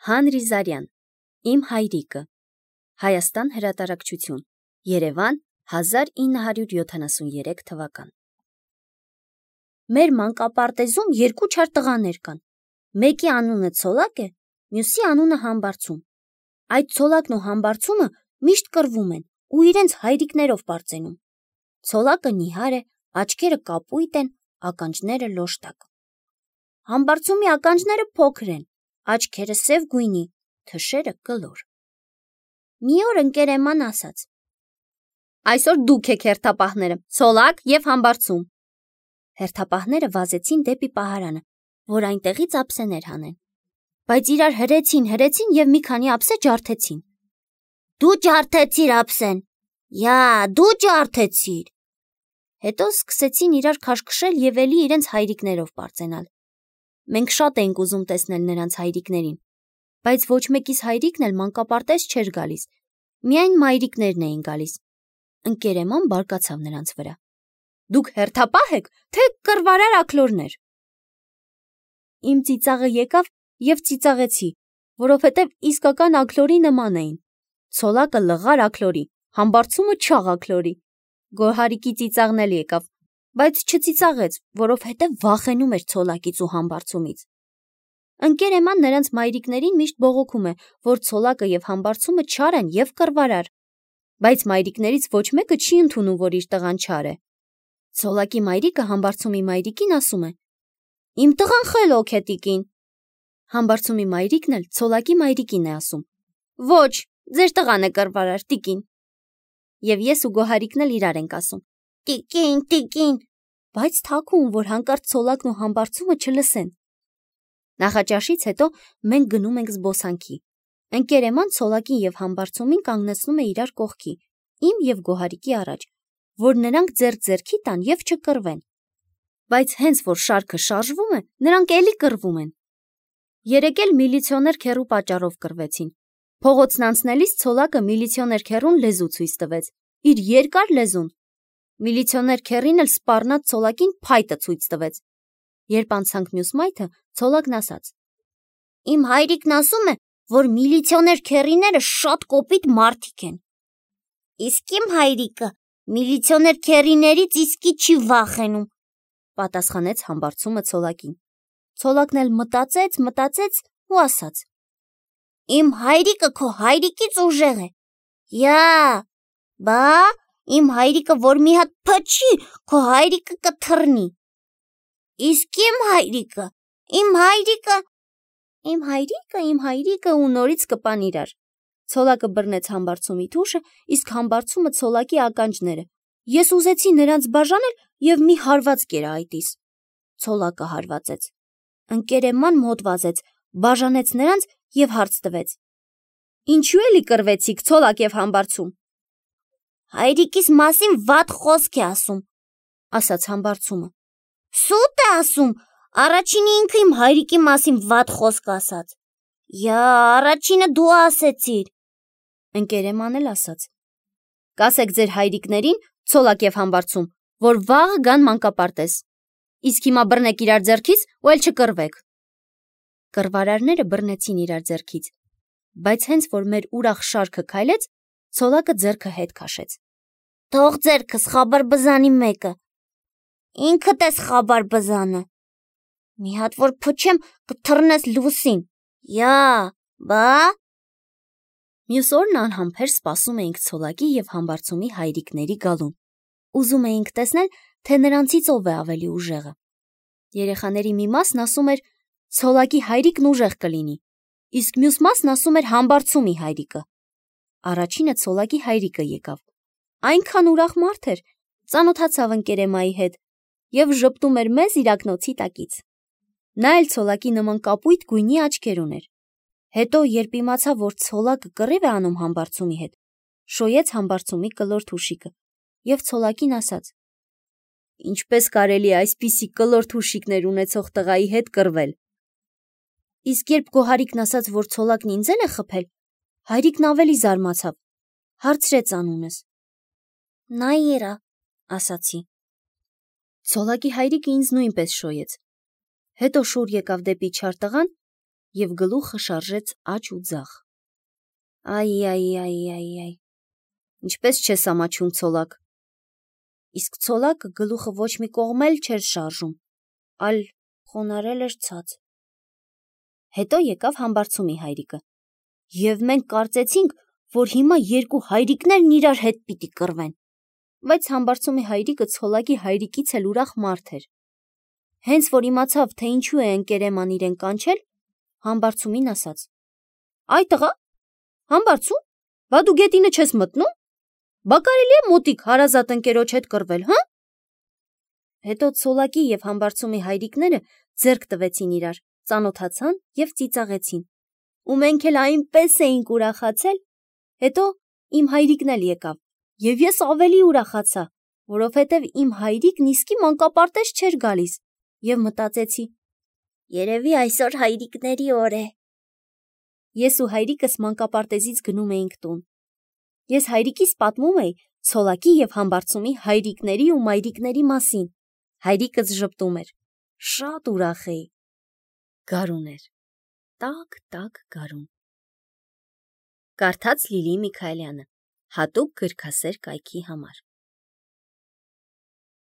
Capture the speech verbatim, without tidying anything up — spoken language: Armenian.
Հանրի Զարյան, Իմ հայրիկը, Հայաստան հրատարակչություն, Երևան, հազար ինը հարյուր յոթանասուներեք թվական։ Մեր մանկապարտեզում երկու չար տղաներ կան։ Մեկի անունը Ցոլակ է, մյուսի անունը Համբարձում։ Այդ Ցոլակն ու Համբարձումը միշտ կռվում են ու իրենց հայրիկներով պարծենում։ Ցոլակը նիհար է, աչքերը կապույտ են, ականջները լոշտակ։ Համբարձումի ականջները փոքր են, աչքերը սև գույնի, թշերը կլոր։ Մի օր ընկերեման ասաց. Այսօր դուք եք հերթապահները, Ցոլակ և Համբարձում։ Հերթապահները վազեցին դեպի պահարանը, որ այնտեղից ափսեներ հանեն։ Բայց իրար հրեցին, հրեցին և մի քանի ափսե ջարդեցին։ Դու ջարդեցիր ափսեն, յա, դու ջարդեցիր։ Հետո սկսեցին իրար քաշքշել և էլի իրենց հայրիկներով պարծենալ։ Մենք շատ էինք ուզում տեսնել նրանց հայրիկներին, բայց ոչ մեկիս հայրիկն էլ մանկապարտեզ չէր գալիս, միայն մայրիկներն էին գալիս։ Ընկերեման բարկացավ նրանց վրա. Դուք հերթապահ եք, թե կռվարար աքլորներ։ Իմ ծիծաղը եկավ և ծիծաղեցի, որովհետև իսկական աքլորի նման էին։ Ցոլակը լղար աքլորի, Համբարձումը չաղ աքլորի։ Գոհարիկի ծիծաղն էլ եկավ, բայց չծիծաղեց, որովհետև վախենում էր Ցոլակից ու Համբարձումից։ Ընկերեման նրանց մայրիկներին միշտ բողոքում է, որ Ցոլակը և Համբարձումը չար են և կռվարար, բայց մայրիկներից ոչ մեկը չի ընդունում, որ իր տղան չար է։ Ցոլակի մայրիկը Համբարձումի մայրիկին ասում է. Իմ տղան խելոք է, տիկին։ Համբարձումի մայրիկն էլ Ցոլակի մայրիկին է ասում. Ոչ, ձեր տղան է կռվարար, տիկին։ Եվ ես ու Գոհարիկն էլ իրար ենք ասում. Տիկին, տիկին, բայց թաքուն, որ հանկարծ Ցոլակն ու Համբարձումը չլսեն։ Նախաճաշից հետո մենք գնում ենք զբոսանքի։ Ընկերեման Ցոլակին և Համբարձումին կանգնեցնում է իրար կողքի, իմ և Գոհարիկի առաջ, որ նրանք ձեռք-ձեռքի տան և չկռվեն։ Բայց հենց որ շարքը շարժվում է, նրանք էլի կռվում են։ Երեկ էլ միլիցիոներ քեռու պատճառով կռվեցին։ Փողոցն անցնելիս Ցոլակը միլիցիոներ քեռուն լեզու ցույց տվեց, իր երկար լեզուն։ Միլիցիոներ քեռին էլ սպառնաց Ցոլակին փայտը ցույց տվեց։ Երբ անցանք մյուս մայթը, Ցոլակն ասաց. Իմ հայրիկն ասում է, որ միլիցիոներ քեռիները շատ կոպիտ մարդիկ են։ Իսկ իմ հայրիկը միլիցիոներ քեռիներից իսկի չի վախենում, պատասխանեց Համբարձումը Ցոլակին։ Ցոլակն էլ մտածեց, մտածեց ու ասաց. Իմ հայրիկը քո հայրիկից ուժեղ է։ Յա, բա, իմ հայրիկը որ մի հատ փչի, քո հայրիկը կթռնի։ Իսկ իմ հայրիկը, իմ հայրիկը, իմ հայրիկը, իմ հայրիկը ու նորից կպան իրար։ Ցոլակը բռնեց Համբարձումի թուշը, իսկ Համբարձումը Ցոլակի ականջները։ Ես ուզեցի նրանց բաժանել և մի հարված կերա այտիս։ Ցոլակը հարվածեց։ Ընկերեման մոտ վազեց, բաժանեց նրանց և հարց տվեց. Ինչու էլի կռվեցիք, Ցոլակ և Համբարձում։ Հայրիկիս մասին վատ խոսք է ասում, ասաց Համբարձումը։ Սուտ է ասում, առաջինը ինքը իմ հայրիկի մասին վատ խոսք ասաց։ Յա, առաջինը դու ասեցիր։ Ընկերեման էլ ասաց. Կասեք ձեր հայրիկներին, Ցոլակ և Համբարձում, որ վաղը գան մանկապարտեզ։ Իսկ հիմա բռնեք իրար ձեռքից ու էլ չկռվեք։ Կռվարարները բռնեցին իրար ձեռքից, բայց հենց որ մեր ուրախ շարքը քայլեց, Ցոլակը ձեռքը հետ քաշեց։ Թող ձեռքս խաբար բզանի մեկը։ Ինքդ ես խաբար բզանը։ Մի հատ որ փչեմ, կթռնես լուսին։ Յա, բա։ Մյուս օրն անհամբեր սպասում էինք Ցոլակի և Համբարձումի հայրիկների գալուն։ Ուզում էինք տեսնել, թե նրանցից ով է ավելի ուժեղը։ Երեխաների մի մասն ասում էր Ցոլակի հայրիկն ուժեղ կլինի, իսկ մյուս մասն ասում էր Համբարձումի հայրիկը։ Առաջինը Ցոլակի հայրիկը եկավ։ Այնքան ուրախ մարդ էր, ծանոթացավ ընկերեմայի հետ և ժպտում էր մեզ իր ակնոցի տակից։ Նա էլ Ցոլակի նման կապույտ գույնի աչքեր ուներ։ Հետո, երբ իմացավ, որ Ցոլակը կռիվ է անում Համբարձումի հետ, շոյեց Համբարձումի կլոր թուշիկը և Ցոլակին ասաց. Ինչպես կարելի է այսպիսի կլոր թուշիկներ ունեցող տղայի հետ կռվել։ Իսկ երբ Գոհարիկն ասաց, որ Ցոլակն ինձ էլ է խփել, հայրիկն ավելի զարմացավ, հարցրեց անունս։ Նաիրա, ասացի։ Ցոլակի հայրիկը ինձ նույնպես շոյեց։ Հետո շուռ եկավ դեպի չար տղան և գլուխը շարժեց աջ ու ձախ։ Այ, այ, այ, այ, այ, ինչպես չես ամաչում ցոլակ։ Իսկ ցոլակը գլուխը ոչ մի կողմ էլ չէր շարժում, այլ խոնարհել էր ցած։ Հետո եկավ Համբարձումի հայրիկը, և մենք կարծեցինք, որ հիմա երկու հայրիկներն իրար հետ պիտի կռվեն, բայց Համբարձումի հայրիկը ցոլակի հայրիկից էլ ուրախ մարդ էր։ Հենց որ իմացավ, թե ինչու է ընկերեման իրեն կանչել, Համբարձումին ասաց. «Այ տղա, Համբարձում, բա դու գետինը չես մտնում, բա կարելի է մոտիկ հարազատ ընկերոջ հետ կռվել, հա»։ Հետո ցոլակի և Համբարձումի հայրիկները ձեռք տվեցին իրար, ծանոթացան և ծիծաղեցին, ու մենք էլ այնպես էինք ուրախացել։ Հետո իմ հայրիկն էլ եկավ, և ես ավելի ուրախացա, որովհետև իմ հայրիկն իսկի մանկապարտեզ չէր գալիս, և մտածեցի. երևի այսօր հայրիկների օր է։ Ես ու հայրիկս մանկապարտեզից գնում էինք տուն։ Ես հայրիկիս պատմում էի ցոլակի և Համբարձումի հայրիկների ու մայրիկների մասին։ Հայրիկս ժպտում էր։ Շատ ուրախ էի։ Գարուն էր, տաք-տաք գարուն։ Կարդաց Լիլիի Միքայելյանը, հատուկ գրքասեր կայքի համար։